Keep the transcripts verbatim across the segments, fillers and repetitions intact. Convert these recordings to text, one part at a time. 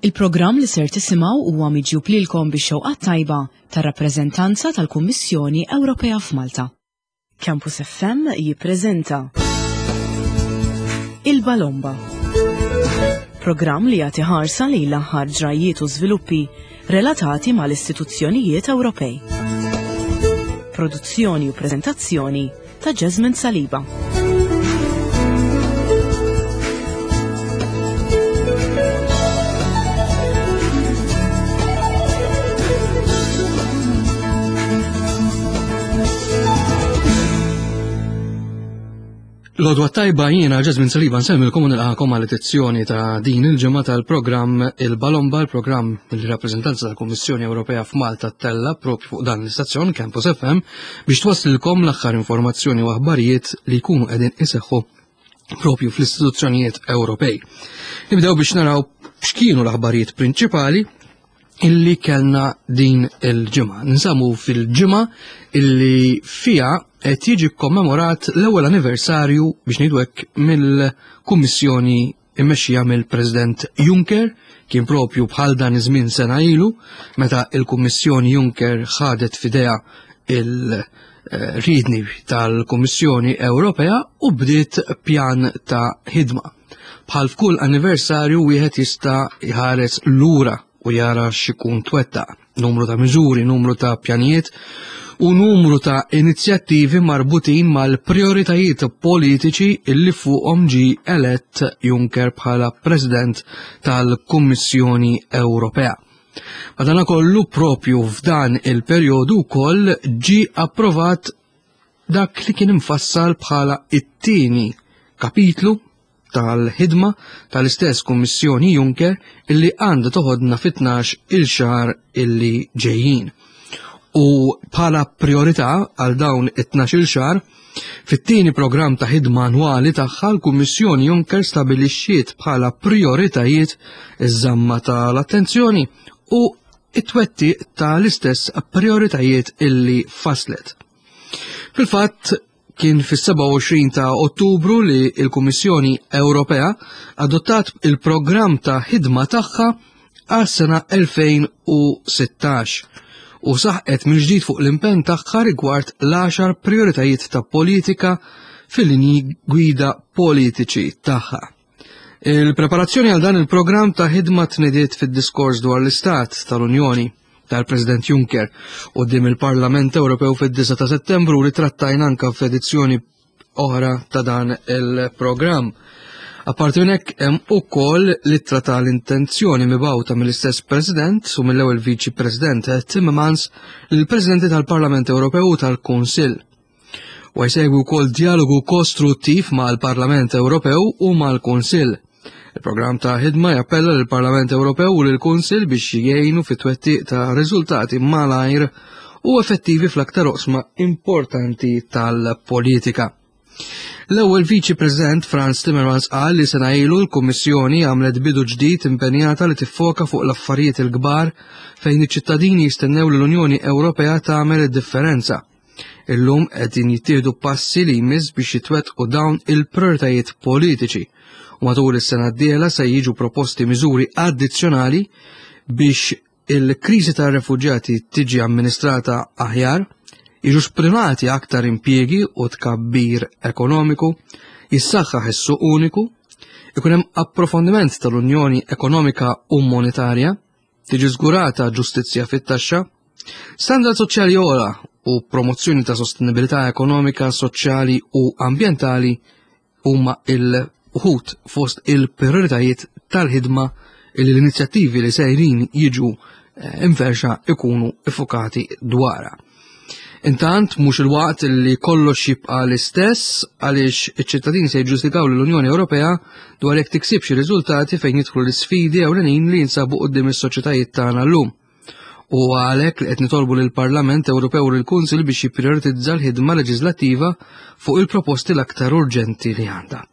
Il-programm li ser tisimgħu huwa miġjub lilkom bix-xewqa tajba tar-rappreżentanza tal-Kummissjoni Ewropea f'Malta. Campus F M jippreżenta Il-Balomba. Programm li jagħti ħarsa lejn l-aħħar ġrajiet u żviluppi relatati mal-istituzzjonijiet Ewropej. Produzzjoni u preżentazzjoni ta' Jasmine Saliba. L-għodwa t-tajba, jiena Jasmine Saliba, nsellmilkom u nilqagħkom għal edizzjoni ta' din il-ġimgħa tal-programm Il-Balomba, il-programm il-rappreżentanza tal-Kummissjoni Ewropea f'Malta ttella' propju fuq dan l-istazzjon Campus F M biex twasslilkom l-aħħar informazzjoni u aħbarijiet li jkunu qegħdin iseħħu propju fl-istituzzjonijiet Ewropej. Nibdew biex naraw x'kienu l-aħbarijiet prinċipali illi kellna din il-ġimgħa. Ninsabu fil-ġimgħa illi fija qed jiġi kommemorat l-ewwel anniversarju, biex ngħidu hekk, mill-Kummissjoni immexxija mill-President Juncker. Kien propju bħal dan iż-żmien sena ilu meta il-Kummissjoni Juncker ħadet f'idejha il-riedni tal-Kummissjoni Ewropea u bdiet pjan ta' ħidma. Bħal f'kull anniversarju, wieħed jista' jħares lura u jara x'ikun twettaq. Numru ta' miżuri, numru ta' pjanijiet u numru ta' inizjattivi marbutin mal-prioritajiet politiċi illi fuqhom ġi elett Juncker bħala President tal-Kummissjoni Ewropea. Madanakollu, propju f'dan il-perjodu wkoll ġi approvat dak li kien imfassal bħala it-tieni kapitlu tal-ħidma tal-istess Kummissjoni Juncker illi għandha toħodna fit-tnax il xahar illi ġejjin. U bħala priorità għal dawn it-tnax il xahar, fit-tieni programm ta' ħidma annwali tagħha, l-Kummissjoni Juncker stabilixxiet bħala prioritajiet iż-żamma tal-attenzjoni u it-twettiq tal-istess prioritajiet illi faslet. Fil-fatt, kien fis-sebgħa u għoxrin ta' Ottubru li l-Kummissjoni Ewropea adottat il-programm ta' ħidma tagħha għas-sena elfejn u sittax u saħqet mill-ġdid fuq l-impenn tagħha rigward l-għaxar prioritajiet ta' politika fil-linji gwida politiċi tagħha. Il-preparazzjoni għal dan il-programm ta' ħidma tnediet fid-diskors dwar l-Istat tal-Unjoni tal-President Juncker quddiem il-Parlament Ewropew fid-disgħa ta' Settembru, li trattajna anka f'edizzjoni oħra ta' dan il-programm. Apparti minn hekk, hemm ukoll l-ittra tal-intenzjoni mibgħuta mill-istess President u mill-ewwel Viċi President Timmermans lill-Presidenti tal-Parlament Ewropew u tal-Kunsill. U jsegwi wkoll dialogu kostruttiv mal-Parlament Ewropew u mal-Kunsill. Il-programm ta' ħidma jappella lill-Parlament Ewropew u lill-Kunsill biex jgħinu fit-twettiq ta' riżultati malajr u effettivi fl-aktar oqsma importanti tal-politika. L-ewwel Viċi President Frans Timmermans qal li sena ilu l-Kummissjoni għamlet bidu ġdid, impenjata li tiffoka fuq l-affarijiet il-kbar fejn iċ-ċittadini jistennew li l-Unjoni Ewropea tagħmel id-differenza. Illum qegħdin jittieħdu passi li jmiss biex jitwettqu dawn il-prioritajiet politiċi. U matul is-sena d-dieħla se jiġu proposti miżuri addizzjonali biex il-kriżi tar-refuġjati tiġi amministrata aħjar, jiġu sprimati aktar impjiegi u tkabbir ekonomiku, jissaħħaħ is-suq uniku, ikun hemm approfondiment tal-Unjoni Ekonomika u Monetarja, tiġi żgurata ġustizzja fit-taxxa, standard soċjali ogħla u promozzjoni ta' sostenibilità ekonomika, soċjali u ambjentali huma il-uħud fost il-prioritajiet tal-ħidma li l-inizjattivi li sejrin jiġu eh, inferxa ikunu iffokati dwarha. Intant, mhux il-waqt li kollox jibqa' l-istess, għaliex iċ-ċittadini se jiġġudikaw l-Unjoni Ewropea dwar jekk tiksibx riżultati fejn jidħlu l-isfidi ewlenin li jinsabu quddiem is-soċjetajiet tagħna llum. U għalhekk li qed nitolbu lill-Parlament Ewropew u lill-Kunsil biex jipprioritizza l-ħidma leġislattiva fuq il-proposti l-aktar urġenti li għandha.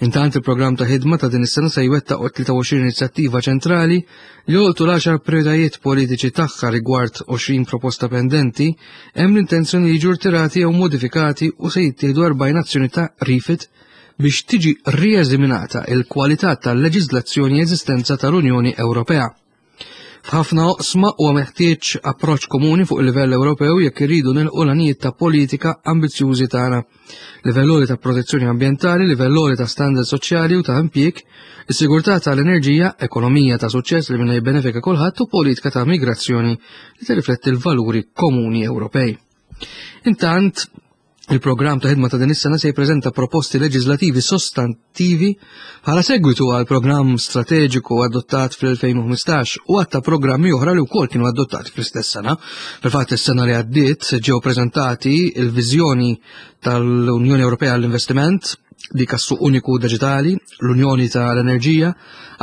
Intant, il-programm ta' ħidma ta' din is-sena se jwettaq tlieta u għoxrin inizjattiva ċentrali li jolqtu l-għaxar prioritajiet politiċi tagħha. Rigward għoxrin proposta pendenti, hemm l-intenzjoni li jiġu rtirati jew modifikati u se jittieħdu erbgħin azzjoni ta' refit biex tiġi rieżaminata il-kwalità tal-leġiżlazzjoni eżistenza tal-Unjoni Ewropea. F'ħafna oqsma huwa meħtieġ approċċ komuni fuq il-livell Ewropew jekk irridu nilqu l-għanijiet ta' politika ambizzjużi tagħna. Livell għoli ta' protezzjoni ambjentali, livell għoli ta' standard soċjali u ta' impjieg, is-sigurtà tal-enerġija, ekonomija ta' suċċess li minnha jibbenefika kulħadd u politika ta' migrazzjoni li tirrifletti l-valuri komuni Ewropej. Intant, il-programm ta' ħidma ta' din is-sena se jippreżenta proposti leġislativi sostantivi bħala segwitu għal programm strateġiku adottat fl-elfejn u ħmistax u għadd ta' programmi oħra li wkoll kienu adottati fl-istess sena. Fil-fatt is-sena li għaddiet ġew preżentati il-viżjoni tal-Unjoni Ewropea għall-Investiment, dik għas-suq uniku diġitali, l-Unjoni tal-Enerġija,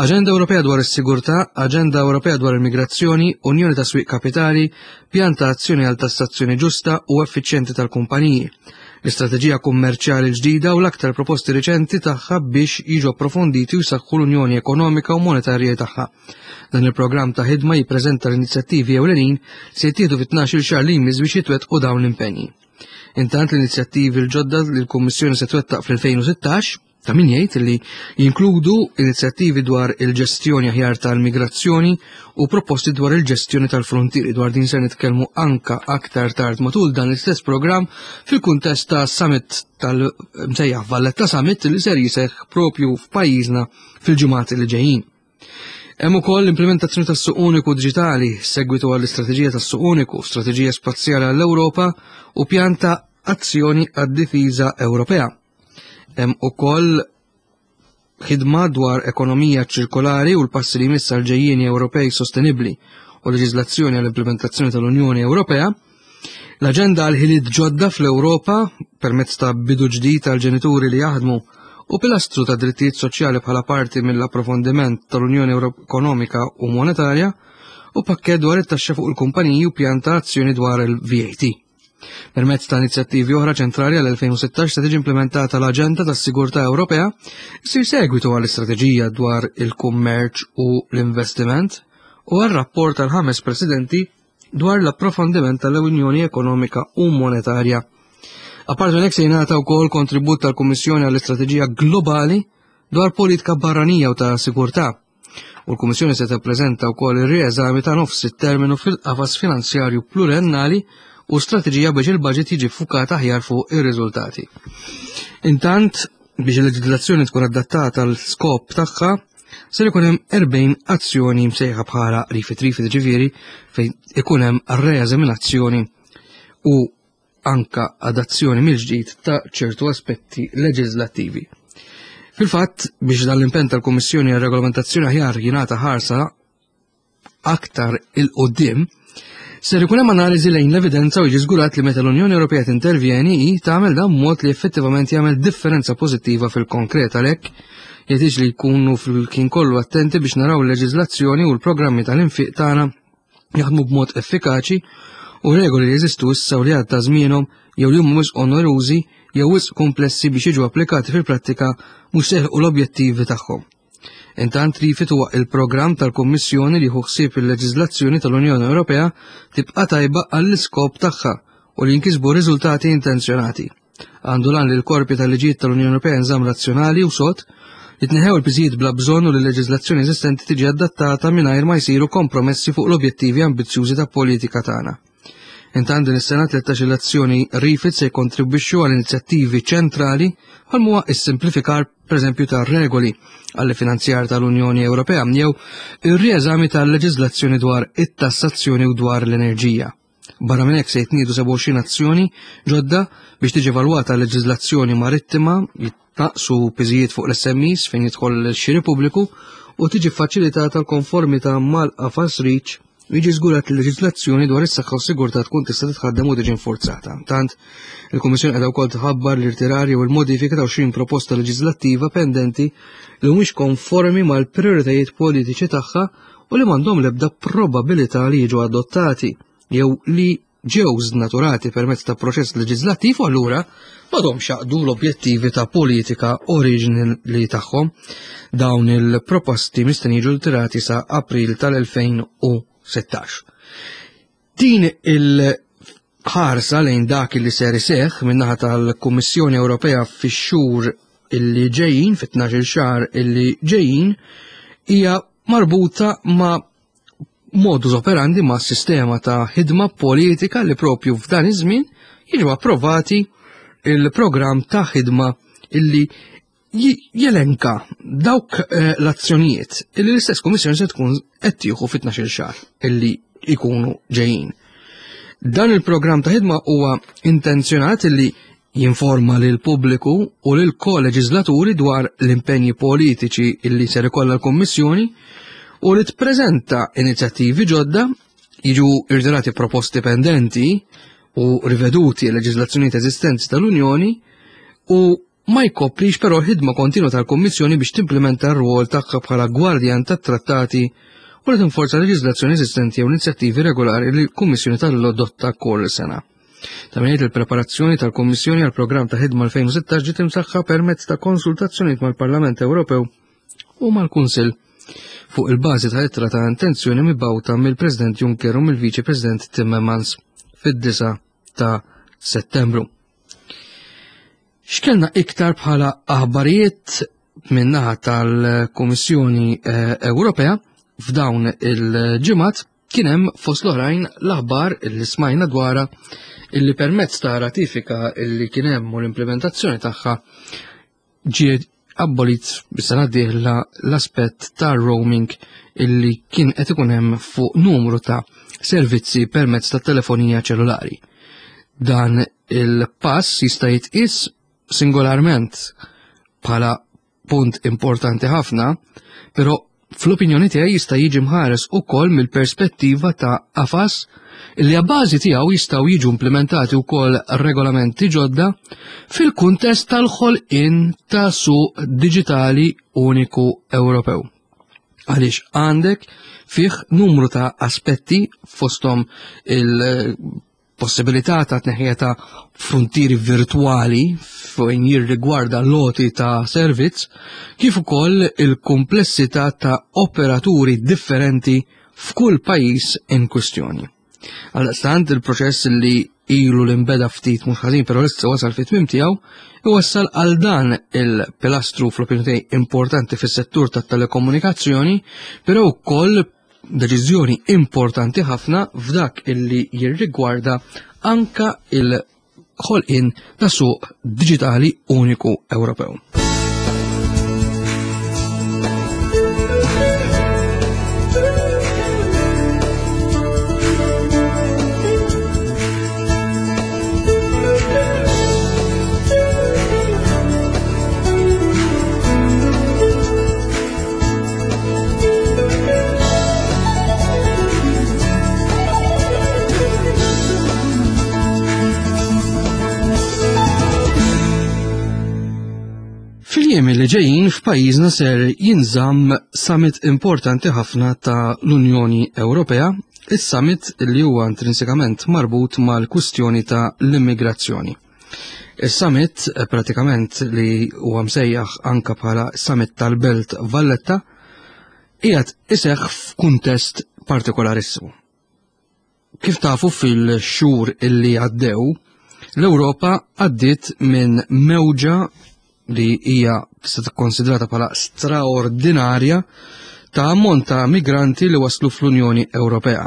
Aġenda Ewropea dwar is-Sigurtà, Aġenda Ewropea dwar il-Migrazzjoni, Unjoni ta' Swieq Kapitali, Pjan ta' Azzjoni għal Tassazzjoni Ġusta u Effiċjenti tal-Kumpaniji, l-Istrateġija Kummerċjali ġdida u l-aktar proposti riċenti tagħha biex jiġu approfonditi u jsaħħu l-Unjoni Ekonomika u Monetarja tagħha. Dan il-programm ta' ħidma jippreżenta l-inizjattivi ewlenin se jittieħdu fi tnax-il xahar li jmiss biex jitwettqu dawn l-impenji. Intant l-inizjattivi l-ġodda li l-Kummissjoni se twettaq fl-elfejn u sittax ta' min jgħid li jinkludu inizjattivi dwar il-ġestjoni aħjar tal-migrazzjoni u proposti dwar il-ġestjoni tal-frontieri. Dwar din se nitkellmu anka aktar tard matul dan l-istess programm fil-kuntest ta' summit tal-msejjaħ Valletta Summit li ser jiseħħ propju f'pajjiżna fil-ġimgħat li ġejjin. Hemm ukoll l-implementazzjoni tas-suq uniku diġitali, segwitu għall-istrateġija tas-suq uniku, strateġija spazjali għall-Ewropa u pjan ta' azzjoni għad-difiża Ewropea. Hemm ukoll ħidma dwar ekonomija ċirkolari u l-passi li jmiss għal ġejjieni Ewropej sostenibbli u leġiżlazzjoni għall-implementazzjoni tal-Unjoni Ewropea, l-aġenda għal ħiliet ġodda fl-Ewropa permezz ta' bidu ġdid għal ġenituri li jaħdmu u pilastru ta' drittijiet soċjali bħala parti mill-approfondiment tal-Unjoni Ekonomika u Monetarja u pakkett dwar it-taxxa fuq il-kumpaniji u pjan ta' azzjoni dwar il-V A T. Permezz ta' inizjattivi oħra ċentrali għal elfejn u sittax se tiġi implementata l-Aġenda tas-Sigurtà Ewropea, issir segwitu għall-istrateġija dwar il-kummerċ u l-investiment u għal-rapport tal-ħames presidenti dwar l-approfondiment tal-Unjoni Ekonomika u Monetarja. Apart minn hekk se jingħata wkoll kontribut tal-Kummissjoni għall-Istrateġija Globali dwar politika barranija u ta' sigurtà. U l-Kummissjoni se tippreżenta wkoll ir-rieżami ta' nofs it-terminu fil-qafas finanzjarju pluriennali u strateġija biex il-budget jiġi ffukat aħjar fuq ir-riżultati. Intant, biex il-leġiżlazzjoni tkun adattata għal skop tagħha, ser ikun hemm erbgħin azzjoni msejħa bħala Refit Refit, ġifieri fejn ikun hemm reeżaminazzjoni u anka adazzjoni mill-ġdid ta' ċertu aspetti leġislattivi. Fil-fatt, biex dan l-impenn tal-Kummissjoni għal regolamentazzjoni aħjar jingħata ħarsa aktar il-qoddim, ser ikun hemm analiżi lejn l-evidenza u jiġi żgurat li meta l-Unjoni Ewropea tintervjeni hi tagħmel dan b'mod li effettivament jagħmel differenza pożittiva fil-konkret. Għalhekk jeħtieġ li jkunu fil-kien kollu attenti biex naraw il-leġiżlazzjoni u l-programmi tal-infiq tagħna jaħdmu b'mod effikaċi u regoli li jeżistu issa u li għadda żmienhom jew li huma wisq onerużi jew wisq komplessi biex jiġu applikati fil-prattika mhux seħqu l-objettivi tagħhom. Intant Refit huwa il-programm tal-Kummissjoni li jieħu ħsieb il-leġiżlazzjoni tal-Unjoni Ewropea tibqa' tajba għall-iskop tagħha u li jinkisbu riżultati intenzjonati. Għandu lan li l-korpi tal-liġijiet tal-Unjoni Ewropea nżamm razzjonali u sod, jitneħew il-piżijiet bla bżonn u li l-leġiżlazzjoni eżistenti tiġi adattata mingħajr ma jsiru kompromessi fuq l-objettivi ambizzjużi ta' politika tagħna. Intant din is-sena tlettax-il azzjoni Refit se jkontribwixxu għal inizjattivi ċentrali bħal huwa s-simplifikar pereżempju tar-regoli għall-finanzjar tal-Unjoni Ewropea jew ir-rieżami tal-leġiżlazzjoni dwar it-tassazzjoni u dwar l-enerġija. Barra minn hekk se jitniedu sebgħa u għoxrin azzjoni ġodda biex tiġi evalwata l-leġiżlazzjoni marittima, jitnaqsu piżijiet fuq l-S M Es fejn jidħol x-xiri pubbliku u tiġi faċilitata l-konformità mal-qafas REACH u jiġi żgurat li l-leġiżlazzjoni dwar is-saħħa u s-sigurtà tkun tista' titħaddem u tiġi infurzata. Tant, il-Kummissjoni qiegħda wkoll tħabbar l-irtirar jew il-modifika ta' għoxrin proposta leġiżlattiva pendenti li mhumiex konformi mal-prijoritajiet politiċi tagħha u li m'għandhom l-ebda probabilità li jiġu adottati jew li ġew żnaturati permezz ta' proċess leġiżlattiv u allura m'għadhomx jaqdu l-objettivi ta' politika oriġinali tagħhom. Dawn il-proposti mistenni jiġu rtirati sa' April tal-elfejn u sittax. Din il-ħarsa lejn dak li ser iseħħ min-naħa tal-Kummissjoni Ewropea fix-xhur illi ġejjin, fit-tnax-il xahar illi ġejjin, hija marbuta ma' modus operandi, ma' sistema ta' ħidma politika li propju f'dan iż-żmien jiġu approvati il-programm ta' ħidma illi jelenka dawk eh, l-azzjonijiet illi l-istess Kummissjoni se tkun qed tieħu fit-tnax-il xahar illi jkunu ġejjin. Dan il-programm ta' ħidma huwa intenzjonat illi jinforma lil pubbliku u lil koleġislaturi dwar l-impenji politiċi illi ser ikollha l-Kummissjoni u li tpreżenta inizjattivi ġodda, jiġu irtirati proposti pendenti u riveduti leġiżlazzjonijiet eżistenti tal-Unjoni, u ma jkoprix però ħidma kontinwa tal-Kummissjoni biex timplementa r-rwol tagħha bħala gwardjan tat-trattati u li tinforza leġiżlazzjoni eżistenti jew inizjattivi regolari li l-Kummissjoni tal-adotta kull sena. Ta' min jgħid, il-preparazzjoni tal-Kummissjoni għal programm ta' ħidma elfejn u sittax ġiet imsaħħa permezz ta' konsultazzjonijiet mal-Parlament Ewropew u mal-Kunsill fuq il-bażi ta' ittra ta' intenzjoni mibgħuta mill-President Juncker u mill-Viċi President Timmermans fid-disa ta' Settembru. X'kellna iktar bħala aħbarijiet min-naħa tal-Kummissjoni, eh, Ewropea f'dawn il-ġimgħat? Kien hemm fost l-oħrajn l-aħbar li smajna dwarha illi permezz ta' ratifika illi kien hemm u l-implementazzjoni tagħha ġiet abbolit bis-sena d-dieħla l-aspett ta' roaming illi kien qed ikun hemm fuq numru ta' servizzi permezz ta' telefonija ċellulari. Dan il-pass jista' jitqies singolarment bħala punt importanti ħafna, però fl-opinjoni tiegħi jista' jiġi mħares ukoll mill-perspettiva ta' qafas li għabbażi tiegħu jistgħu jiġu implementati wkoll regolamenti ġodda fil-kuntest tal-ħolqien ta' suq diġitali uniku Ewropew. Għaliex għandek fih numru ta' aspetti fosthom il-possibilità ta' tneħħija ta' frontieri virtuali fejn jirrigwarda loti ta' servizz, kif ukoll il-komplessità ta' operaturi differenti f'kull pajjiż in kwistjoni. Għaldaqstant il-proċess li ilu l-imbeda ftit mhux ħażin, però issa wasal fit-tmiem tiegħu, iwassal għal dan il-pilastru fl-opinjoni tiegħi importanti fis-settur tat-telekomunikazzjoni, però wkoll deċiżjoni importanti ħafna f'dak illi jirrigwarda anka il-ħolqien ta' suq diġitali uniku Ewropew. Fil-jiem li ġejjin f'pajjiżna ser jinżamm summit importanti ħafna ta' l-Unjoni Ewropea, is-summit li huwa intrinsikament marbut mal-kwistjoni ta' l-immigrazzjoni. Is-summit pratikament li huwa msejjaħ anka bħala summit tal-Belt Valletta qiegħed iseħħ f'kuntest partikolarissimu. Kif tafu fil-xhur illi għaddew, l-Ewropa għaddiet minn mewġa li hija tista' tikkonsidrata bħala straordinarja ta' ammont ta' migranti li waslu fl-Unjoni Ewropea.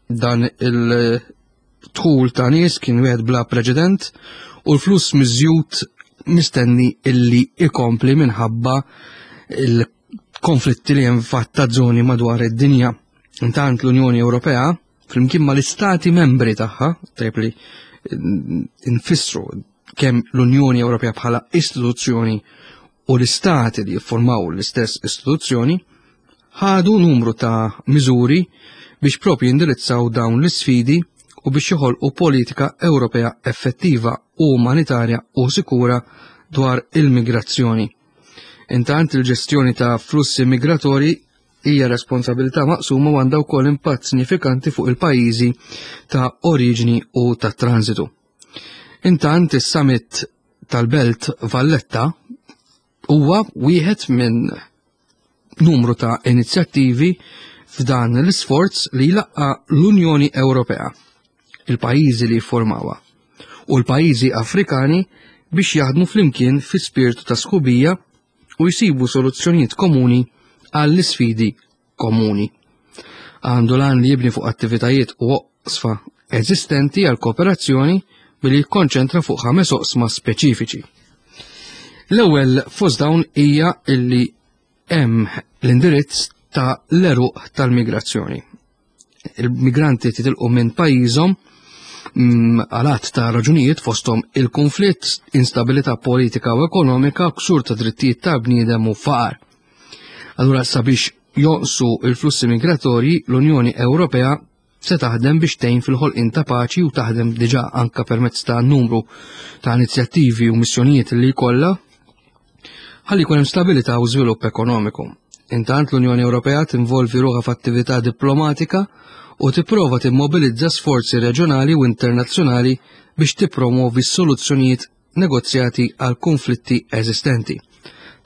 Dan il-dħul ta' nies kien wieħed bla preċedent u l-fluss miżjud mistenni illi ikompli minħabba il-konflitti li hemm fatt ta' żoni madwar id-dinja. Intant l-Unjoni Ewropea, flimkien mal-istati membri tagħha, tajjeb li nfissru kemm l-Unjoni Ewropea bħala istituzzjoni u l-istati li jiffurmaw l-istess istituzzjoni, ħadu numru ta' miżuri biex propju jindirizzaw dawn l-isfidi u biex joħolqu politika Ewropea effettiva u umanitarja u sikura dwar il-migrazzjoni. Intant il-ġestjoni ta' flussi migratorji hija responsabilità maqsuma u għandha wkoll impatt sinifikanti fuq il-pajjiżi ta' oriġini u ta' transitu. Intant is-summit tal-Belt Valletta huwa wieħed minn numru ta' inizjattivi f'dan l-isforz li jlaqqa l-Unjoni Ewropea, il-pajjiżi li jiffurmawha, u l-pajjiżi Afrikani biex jaħdmu flimkien fi spirtu ta' sħubija u jsibu soluzzjonijiet komuni għall-isfidi komuni. Għandu l-għan li jibni fuq attivitajiet u oqsfa eżistenti għal kooperazzjoni billi jikkonċentra fuq ħames oqsma speċifiċi. L-ewwel fost dawn hija illi hemm l-indirizz ta' l-eruq tal-migrazzjoni. Il-migranti titilqu minn pajjiżhom mm, għal għadd ta' raġunijiet, fosthom il-konflitt, instabilità politika u ekonomika, ksur ta' drittijiet ta' bniedem u faqar. Allura, sabiex jonqsu il-flussi migratorji, l-Unjoni Ewropea se taħdem biex tgħin fil-ħolqien ta' paċi u taħdem diġà anka permezz ta' numru ta' inizjattivi u missjonijiet li jkollha ħalli jkun hemm stabilità u żvilupp ekonomiku. Intant, l-Unjoni Ewropea tinvolvi ruħha f'attività diplomatika u tipprova timmobilizza sforzi reġjonali u internazzjonali biex tippromovi soluzzjonijiet negozjati għal konflitti eżistenti.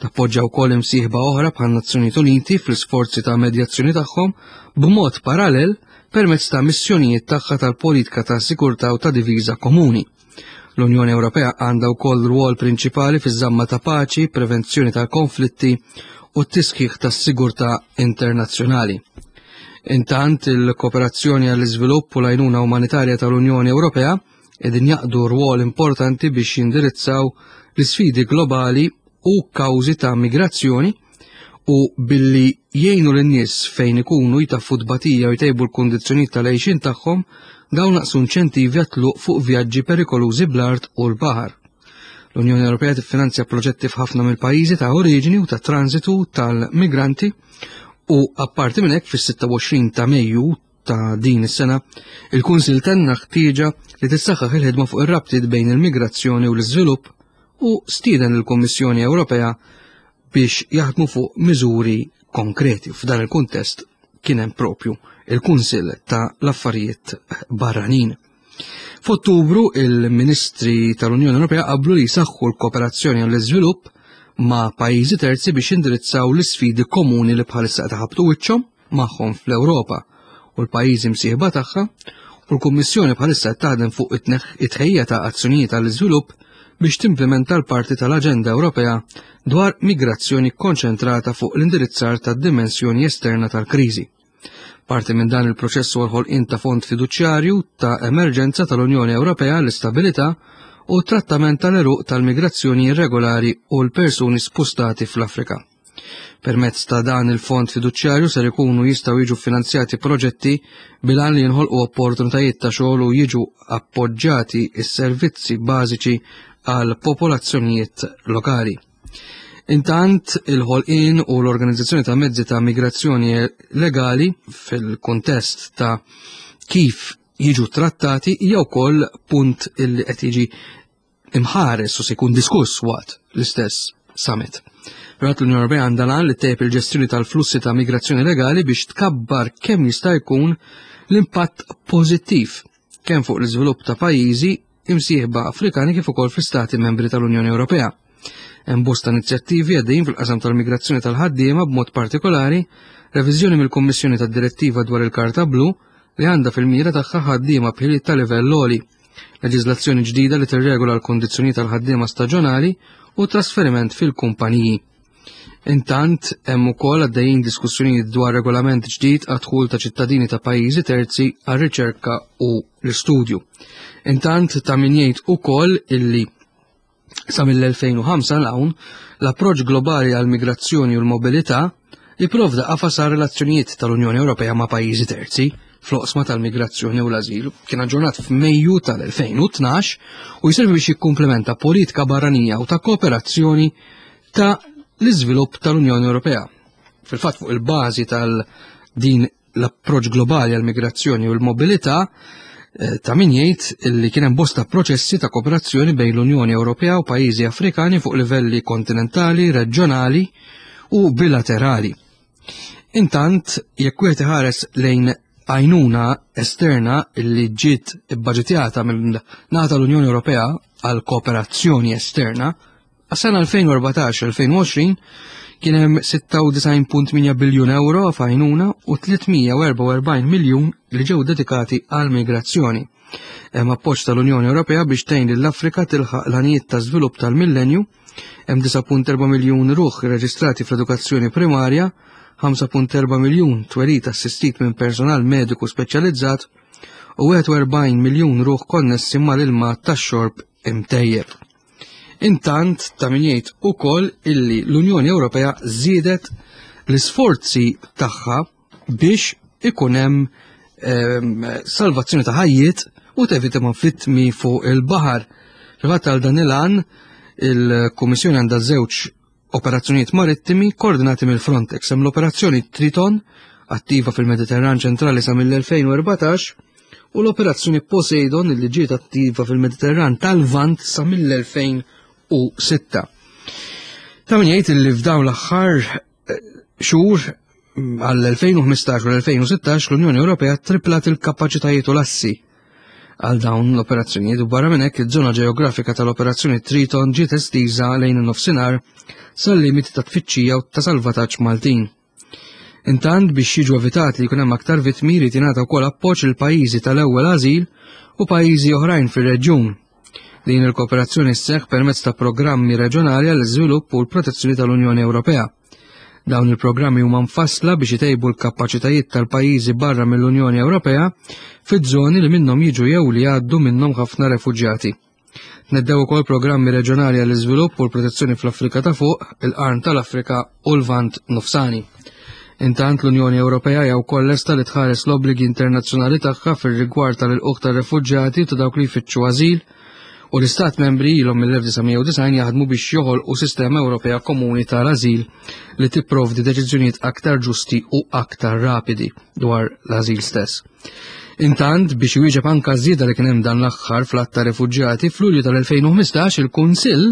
Tappoġġa wkoll imsieħba oħra bħal Nazzjonijiet Uniti fl-isforzi ta' medjazzjoni tagħhom b'mod parallel permezz ta' missjonijiet tagħha tal-politika ta' sikurtà u ta' diviża komuni. L-Unjoni Ewropea għandha wkoll rwol prinċipali fiż-żamma ta' paċi, prevenzjoni ta' konflitti u t-tisħiħ tas-sigurtà internazzjonali. Intant, il-kooperazzjoni għall-iżvilupp u l-għajnuna umanitarja tal-Unjoni Ewropea qegħdin jaqdu rwol importanti biex jindirizzaw l-isfidi globali u kawżi ta' migrazzjoni u billi jgħinu lin-nies fejn ikunu, jtaffu tbatija u jtejbu l-kundizzjonijiet tal-għejxin tagħhom, dawn naqsu inċentivi għat-tluq fuq vjaġġi perikolużi bl-art u l-baħar. L-Unjoni Ewropea tiffinanzja proġetti f'ħafna mill-pajjiżi ta' oriġini u ta' transitu tal-migranti u apparti minn hekk, fis-sitta u għoxrin ta' Mejju ta' din is-sena, il-Kunsil tenna ħtieġa li tissaħħaħ il-ħidma fuq ir-rabtiet bejn il-migrazzjoni u l-iżvilupp u stieden il-Kummissjoni Ewropea biex jaħdmu fuq miżuri konkreti. F'dan il-kuntest kien hemm propju il-Kunsil ta' l-Affarijiet Barranin. F'Ottubru, il-Ministri tal-Unjoni Ewropea qablu li jsaħħu l-kooperazzjoni għall-iżvilupp ma' pajjiżi terzi biex indirizzaw l-isfidi komuni li bħalissa qed iħabbtu wiċċhom magħhom fl-Ewropa u l-pajjiżi msieħba tagħha, u l-Kummissjoni bħalissa qed taħdem fuq it-tħejja ta' azzjonijiet għall-iżvilupp biex timplementa l-parti tal-Aġenda Ewropea dwar migrazzjoni konċentrata fuq l-indirizzar tad-dimensjoni esterna tal-kriżi. Parti minn dan il-proċess huwa l-ħolqien ta' fond fiduċjarju ta' emerġenza tal-Unjoni Ewropea l-istabilità u trattament tal-eruq tal-migrazzjoni irregolari u l-persuni spostati fl-Afrika. Permezz ta' dan il-fond fiduċjarju ser ikunu jistgħu jiġu finanzjati proġetti bil-għan li jinħolqu opportunitajiet ta' xogħol u jiġu appoġġjati s-servizzi bażiċi għal popolazzjonijiet lokali. Intant, il-ħolqien u l-organizzazzjoni ta' mezzi ta' migrazzjoni legali fil-kontest ta' kif jiġu trattati hija wkoll punt illi qed jiġi imħares u se jkun diskuss waqt l-istess summit. Però l-Unjoni Ewropea għandha l-għan li ttejjeb il-ġestjoni tal-flussi ta' migrazzjoni legali biex tkabbar kemm jista' jkun l-impatt pożittiv kemm fuq l-iżvilupp ta' pajjiżi imsieħba Afrikani kif ukoll fl-Istati membri tal-Unjoni Ewropea. Hemm bosta inizjattivi għaddejjin fil-qasam tal-migrazzjoni tal-ħaddiema, b'mod partikolari reviżjoni mill-Kummissjoni tad-Direttiva dwar il-Karta Blu li għandha fil-mira tagħha ħaddiema b'ħiliet ta' livell għoli, leġiżlazzjoni ġdida li tirregola l-kondizzjoni tal-ħaddiema staġjonali u trasferiment fil-kumpaniji. Intant, hemm ukoll għaddejjin diskussjonijiet dwar regolament ġdid għad-dħul ta' ċittadini ta' pajjiżi terzi għar-riċerka u l-istudju. Intant, ta' min jgħid ukoll illi sa mill-elfejn u ħamsa 'l hawn, l-approċċ globali għal migrazzjoni u l-mobilità jipprovda qafas għal relazzjonijiet tal-Unjoni Ewropea ma' pajjiżi terzi fl-oqsma tal-migrazzjoni u l-azil. Kien aġġornat f'Mejju tal-elfejn u tnax u jservi biex jikkumplementa politika barranija u ta' kooperazzjoni ta' l-iżvilupp tal-Unjoni Ewropea. Fil-fatt, fuq il-bażi tal-din l-approċ globali għal migrazzjoni u l-mobilità, eh, ta' min jgħid li kien hemm bosta proċessi ta' kooperazzjoni bejn l-Unjoni Ewropea u pajjiżi Afrikani fuq livelli kontinentali, reġjonali u bilaterali. Intant, jekk wieħed iħares lejn għajnuna esterna li ġiet ibbaġitjata minn naħa tal-Unjoni Ewropea għal kooperazzjoni esterna, għas-sena elfejn u erbatax-elfejn u għoxrin Kien hemm sitta u disgħin punt tmienja biljun euro f'għajnuna u tliet mija u erbgħa u erbgħin miljun li ġew dedikati għal migrazzjoni. Hemm appoġġ tal-Unjoni Ewropea biex tgħin lill-Afrika tilħaq l-għanijiet ta' żvilupp tal-millenju, hemm disgħa punt erbgħa miljun ruħ irreġistrati fl-edukazzjoni primarja, ħamsa punt erbgħa miljun twelid assistit minn personal mediku speċjalizzat u wieħed u erbgħin miljun ruħ konnessi mal-ilma tax-xorb imtejjeb. Intant, ta' min jgħid ukoll illi l-Unjoni Ewropea żiedet l-isforzi tagħha biex ikun hemm ehm, salvazzjoni ta' ħajjiet u tevita vittmi fuq il-baħar. Fil-fatt, għal dan il-għan, il-Kummissjoni għandha żewġ operazzjonijiet marittimi koordinati mill-Frontex. Hemm l-operazzjoni Triton, attiva fil-Mediterran ċentrali sa mill-elfejn u erbatax, u l-operazzjoni Poseidon, li ġiet attiva fil-Mediterran tal-Lvant sa mill-elfejn u sitta. Ta' min jgħid li f'dawn l-aħħar eh, xhur mm, għall-elfejn u ħmistax u l-elfejn u sittax l-Unjoni Ewropea triplat il-kapaċitajiet u l-assi għal dawn l-operazzjonijiet u barra minn hekk iż-żona ġeografika tal-operazzjoni Triton ġiet estiża lejn in-nofsinhar sal-limiti ta' tfittxija u ta' salvataġġ Maltin. Intant, biex jiġu evitati li jkun hemm aktar vittmi, jrid jingħata wkoll appoġġ il pajjiżi tal-ewwel ażil u pajjiżi oħrajn fir-reġjun. Din il-kooperazzjoni sseħħ permezz ta' programmi reġjonali għall-iżvilupp u l-protezzjoni tal-Unjoni Ewropea. Dawn il-programmi huma mfassla biex itejbu l-kapaċitajiet tal-pajjiżi barra mill-Unjoni Ewropea fiż-żoni li minnhom jiġu jew li jgħaddu minnhom ħafna refuġjati. Tnedew ukoll programmi reġjonali għall-iżvilupp u l-protezzjoni fl-Afrika ta' Fuq, il-Qarn tal-Afrika u l-Lvant Nofsani. Intant, l-Unjoni Ewropea hija wkoll lesta li tħares l-obbligi internazzjonali tagħha fir-rigward tal-ilqugħ tar-refuġjati ta' dawk li jfittxu ażil u l-Istat membri ilhom mill-elf disa' mija u disgħin jaħdmu biex joħolqu sistema Ewropea komuni tal-ażil li tipprovdi deċiżjonijiet aktar ġusti u aktar rapidi dwar l-ażil stess. Intant, biex iwieġeb anka żieda li kien hemm dan l-aħħar fl-għadd ta' refuġjati, f'Lulju tal-elfejn u ħmistax il-Kunsill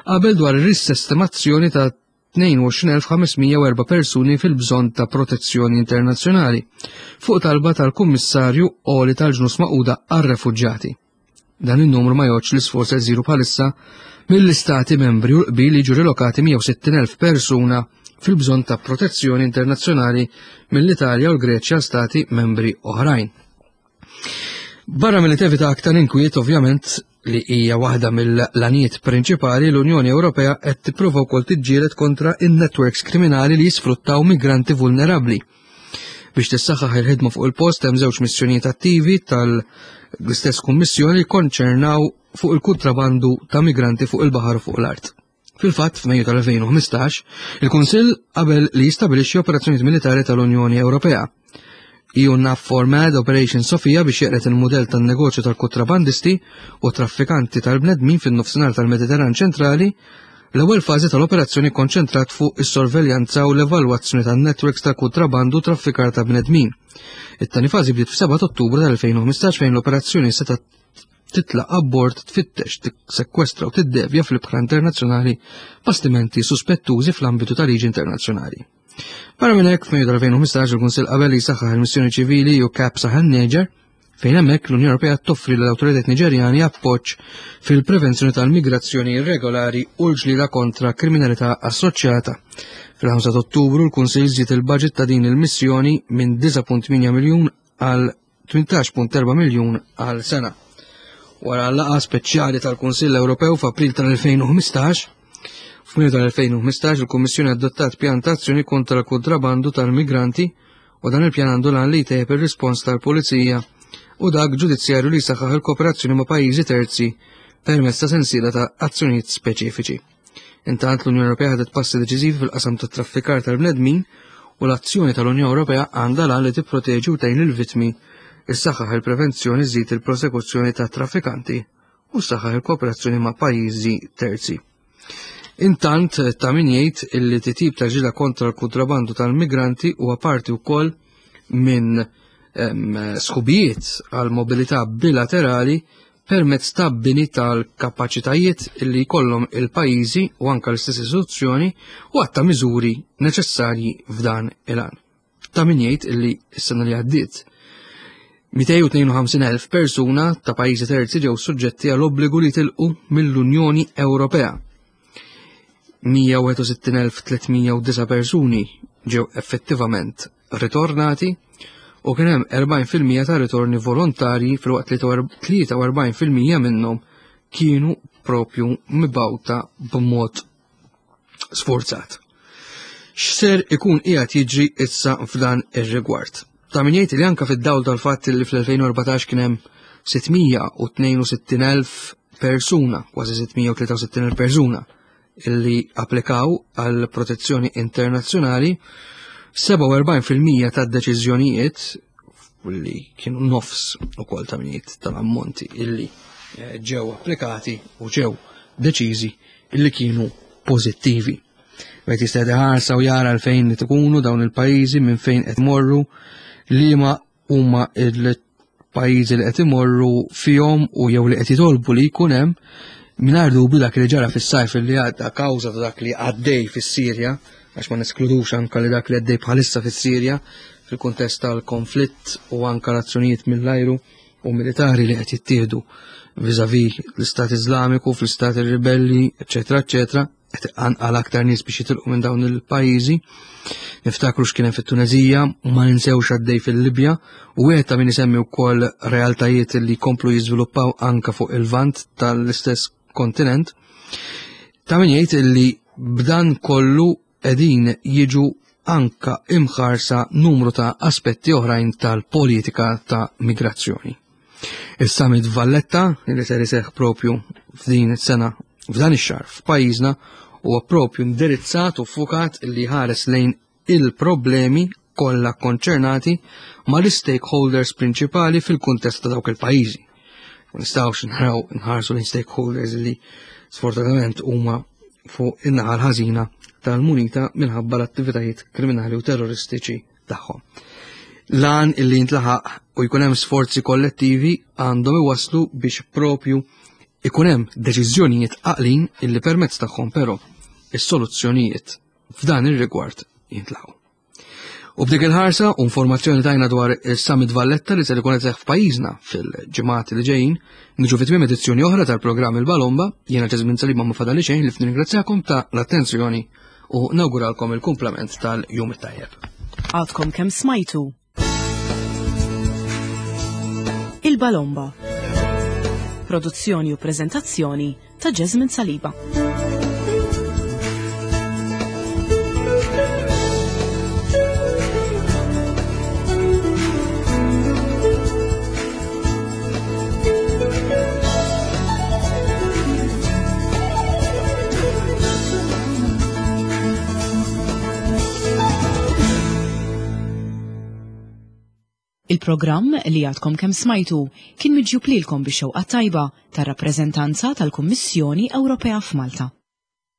qabel dwar ir-risistemazzjoni ta' tnejn u għoxrin elf ħames mija u erbgħa persuni fil-bżonn ta' protezzjoni internazzjonali fuq talba tal-Kummissarju Għoli tal-Ġnus Magħquda għar-Refuġjati. Dan il-numru ma jgħodx l-isforz qed isiru bħalissa mill-istati membri u l-qbil jiġu rilokati mija u sittin elf persuna fil-bżonn ta' protezzjoni internazzjonali mill-Italja u l-Greċja stati membri oħrajn. Barra mill tevita aktar inkwiet, ovvjament, li hija waħda mill-għanijiet prinċipali, l-Unjoni Ewropea qed tipprova wkoll tiġġieled kontra in-networks kriminali li jisfruttaw migranti vulnerabbli. Biex tissaħħaħ il-ħidma fuq il-post, hemm żewġ missjonijiet attivi tal-istess kummissjoni konċernaw fuq il-kontrabandu ta' migranti fuq il-baħar u fuq l-art. Fil-fatt, f'Mejju tal-elfejn u ħmistax, il-Kunsill qabel li jistabilixxi operazzjonijiet militari tal-Unjoni Ewropea. E U NAVFOR MED Operation Sofia biex jeqred il-modell tan-negozju tal-kontrabandisti u traffikanti tal-bnedmin fin-nofsinhar tal-Mediterran ċentrali. L-ewwel fażi tal-operazzjoni konċentrat fuq is-sorveljanza u l-evalwazzjoni tan-networks ta' kontrabandu u traffikar ta' bnedmin. It-tieni fażi bdiet f'sebgħa Ottubru tal-elfejn u ħmistax fejn l-operazzjoni seta' titla' abbord, tfittex, tiksekwestra u tiddevja fl-ibħra internazzjonali bastimenti suspettużi fl-ambitu tal-liġi internazzjonali. Barra minn hekk, f'Mejju tal-elfejn u ħmistax il-Kunsill qabel li jsaħħaħ il-missjoni ċivili EUCAP Sahel Niger, fejn hemmhekk l-Unjoni Ewropea toffri l-awtoritajiet Niġerjani appoġġ fil-prevenzjoni tal-migrazzjoni irregolari u l-ġlida kontra kriminalità assoċjata. Fil-ħamsa Ottubru l-Kunsill żied il-budget ta' din il-missjoni minn disgħa punt tmienja miljun għal tmintax punt erbgħa miljun għal sena. Wara l-laqgħa speċjali tal-Kunsill Ewropew f'April tal-elfejn u ħmistax, f'Mejju tal-elfejn u ħmistax il-Kummissjoni adottat pjan ta' azzjoni kontra l-kontrabandu tal-migranti u dan il-pjan għandu l-għan li jtejjeb ir-rispons tal-Pulizija u dak ġudizzjarju li jsaħħaħ il-kooperazzjoni ma' pajjiżi terzi permezz ta' sensiela ta' azzjonijiet speċifiċi. Intant, l-Unjoni Ewropea ħadet passi deċiżivi fil-qasam tat-traffikar tal-bnedmin u l-azzjoni tal-Unjoni Ewropea għandha l-għan li tipproteġi u tgħin il-vittmi, issaħħaħ il-prevenzjoni, żżid il-prosekuzzjoni ta' traffikanti u ssaħħaħ il-kooperazzjoni ma' pajjiżi terzi. Intant, ta' min jgħid illi titjib ta' ġlieda kontra l-kontrabandu tal-migranti huwa parti wkoll minn sħubijiet għal mobilità bilaterali permezz ta' bini tal-kapaċitajiet illi jkollhom il-pajjiżi u anka l-istess istituzzjoni u għadd ta' miżuri neċessarji f'dan il-għan. Ta' min jgħid illi s-sena li għaddiet mitejn u tnejn u ħamsin elf persuna ta' pajjiżi terzi ġew suġġetti għal obbligu li tilqu mill-Unjoni Ewropea. mija u wieħed u sittin elf tliet mija u disgħa persuni ġew effettivament ritornati u kien hemm erbgħin fil-mija ta' ritorni volontarji, filwaqt li tlieta u erbgħin fil-mija minnhom kienu propju mibgħuta b'mod sforzat. X'ser ikun qiegħed jiġri issa f'dan ir-rigward? Ta' min jgħid li anka fid-dawl tal-fatt li fl-elfejn u erbatax kien hemm sitt mija u tnejn u sittin elf persuna, kważi sitt mija u tlieta u sittin elf persuna illi applikaw għal protezzjoni internazzjonali, sebgħa u erbgħin fil-mija tad-deċiżjonijiet, li kienu nofs ukoll ta' min jgħid tal-ammonti illi eh, ġew applikati u ġew deċiżi, illi kienu pożittivi. Wieħed jista' ħarsa u jara fejn li tkunu dawn il-pajjiżi, minn fejn qed morru, liema huma il-pajjiżi li qed imorru fihom u jew li qed jitolbu li jkun hemm. Mingħajr dubju, dak li ġara fis-sajf li għadda kawża ta' dak li għaddej fis-Sirja, għax ma neskludux anka li dak li għaddej bħalissa fis-Sirja fil-kuntest tal-konflitt u anka l-azzjonijiet mill-ajru u militari li qed jittieħdu vis-à-vis l-Istat Iżlamiku, fl-Istat ribelli, eċetera, eċetera, qed għal aktar nies biex jitilqu minn dawn il-pajjiżi. Niftakru x'kien hemm fit-Tunezija u ma ninsewx għaddej fil-Libja, u wieħed ta' min isemmi wkoll realtajiet li jkomplu jiżviluppaw anka fuq il-vant tal-istess kontinent. Ta' min jgħid li b'dan kollu qegħdin jiġu anka imħarsa numru ta' aspetti oħrajn tal-politika ta' migrazzjoni. Il-Summit Valletta, li ser iseħħ propju f'din is-sena, f'dan ix-xahar f'pajjiżna, huwa propju indirizzat u fukat li ħares lejn il-problemi kollha konċernati mal-stakeholders prinċipali fil-kuntest ta' dawk il-pajjiżi. Ma nistgħux naraw nħarsu lejn stakeholders li sfortunatament huma fuq in-naħa l-ħażina tal-munita minħabba l-attivitajiet kriminali u terroristiċi tagħhom. Lan illi jintlaħaq u jkun hemm sforzi kollettivi għandhom iwaslu biex propju ikun hemm deċiżjonijiet għaqlin illi permezz tagħhom però is-soluzzjonijiet f'dan ir-rigward jintlaħqu. U b'dik il-ħarsa u informazzjoni tajna dwar il-Summit Valletta li ser ikun qed f'pajjiżna fil-ġimgħat li ġejjin, niġu fi tmiem edizzjoni oħra tal-programm Il-Balomba. Jiena Ġeżmin Salima, ma fadali xejn ħlief nirringrazzjakom ta' l-attenzjoni u nawguralkom il-kumplament tal-jum it-tajjeb. Għadkom kemm smajtu Il-Balomba. Produzzjoni u prezentazzjoni ta' Jasmine Saliba. Il-programm li għadkom kemm smajtu kien miġjub lilkom bix-xewqa tajba tar-rappreżentanza tal-Kummissjoni Ewropea f'Malta.